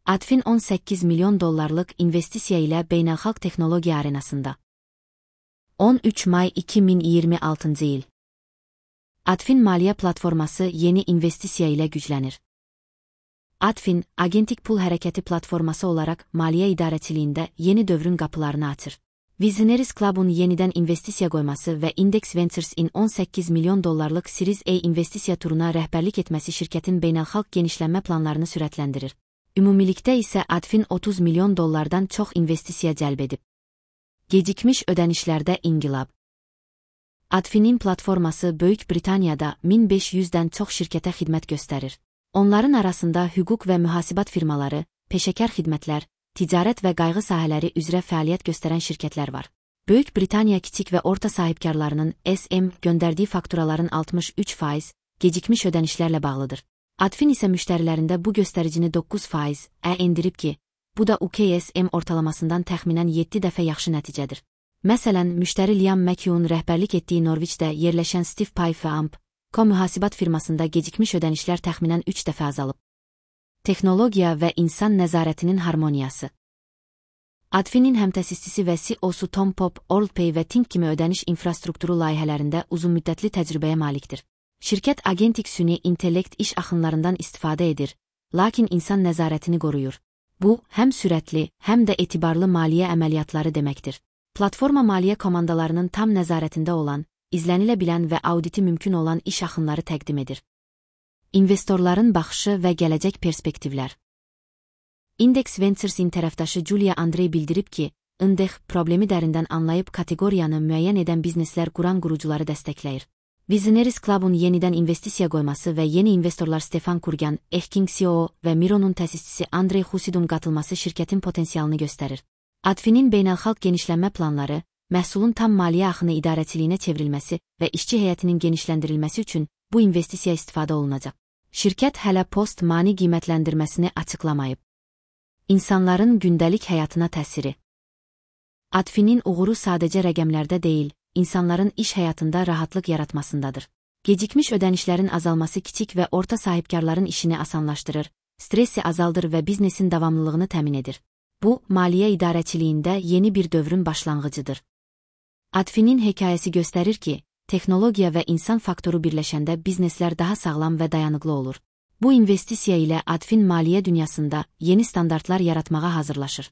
Adfin 18 milyon dollarlıq investisiya ilə beynəlxalq texnologiya arenasında. 13 may 2026 il. Adfin maliyyə platforması yeni investisiya ilə güclənir. Adfin, agentik pul hərəkəti platforması olaraq maliyyə idarəçiliyində yeni dövrün qapılarını açır. Visionaries Club'un yenidən investisiya qoyması və Index Ventures'in 18 milyon dollarlıq Series A investisiya turuna rəhbərlik etməsi şirkətin beynəlxalq genişlənmə planlarını sürətləndirir. Ümumilikdə isə Adfin 30 milyon dollardan çox investisiya cəlb edib. Gecikmiş ödənişlərdə inqilab. Adfin'in platforması Böyük Britaniyada 1500-dən çox şirkətə xidmət göstərir. Onların arasında hüquq və mühasibat firmaları, peşəkar xidmətlər, ticarət və qayğı sahələri üzrə fəaliyyət göstərən şirkətlər var. Böyük Britaniya kiçik və orta sahibkarlarının SM göndərdiyi fakturaların 63% gecikmiş ödənişlərlə bağlıdır. Adfin isə müştərilərində bu göstəricini 9% endirib ki, bu da UKSM ortalamasından təxminən 7 dəfə yaxşı nəticədir. Məsələn, müştəri Liam McHugh'un rəhbərlik etdiyi Norwichdə yerləşən Steve Pife mühasibat firmasında gecikmiş ödənişlər təxminən 3 dəfə azalıb. Texnologiya və insan nəzarətinin harmoniyası. Adfin'in həmtəsisçisi və CEO-su Tom Pope, WorldPay və Tink kimi ödəniş infrastrukturu layihələrində uzunmüddətli təcrübəyə malikdir. Şirkət agentik süni intellekt iş axınlarından istifadə edir, lakin insan nəzarətini qoruyur. Bu, həm sürətli, həm də etibarlı maliyyə əməliyyatları deməkdir. Platforma maliyyə komandalarının tam nəzarətində olan, izlənilə bilən və auditi mümkün olan iş axınları təqdim edir. İnvestorların baxışı və gələcək perspektivlər. Index Ventures'in tərəfdaşı Julia Andrey bildirib ki, INDEX problemi dərindən anlayıb kateqoriyanı müəyyən edən bizneslər quran qurucuları dəstəkləyir. Visionaries Club'un yenidən investisiya qoyması və yeni investorlar Stefan Kurgan, Ehking CEO və Miro'nun təsisçisi Andrey Husidun qatılması şirkətin potensialını göstərir. Adfin'in beynəlxalq genişlənmə planları, məhsulun tam maliyyə axını idarəçiliyinə çevrilməsi və işçi heyətinin genişləndirilməsi üçün bu investisiya istifadə olunacaq. Şirkət hələ post-mani qiymətləndirməsini açıqlamayıb. İnsanların gündəlik həyatına təsiri. Adfin'in uğuru sadəcə rəqəmlərdə deyil, insanların iş həyatında rahatlıq yaratmasındadır. Gecikmiş ödənişlərin azalması kiçik və orta sahibkarların işini asanlaşdırır, stressi azaldır və biznesin davamlılığını təmin edir. Bu, maliyyə idarəçiliyində yeni bir dövrün başlanğıcıdır. Adfin'in hekayəsi göstərir ki, texnologiya və insan faktoru birləşəndə bizneslər daha sağlam və dayanıqlı olur. Bu investisiya ilə Adfin maliyyə dünyasında yeni standartlar yaratmağa hazırlaşır.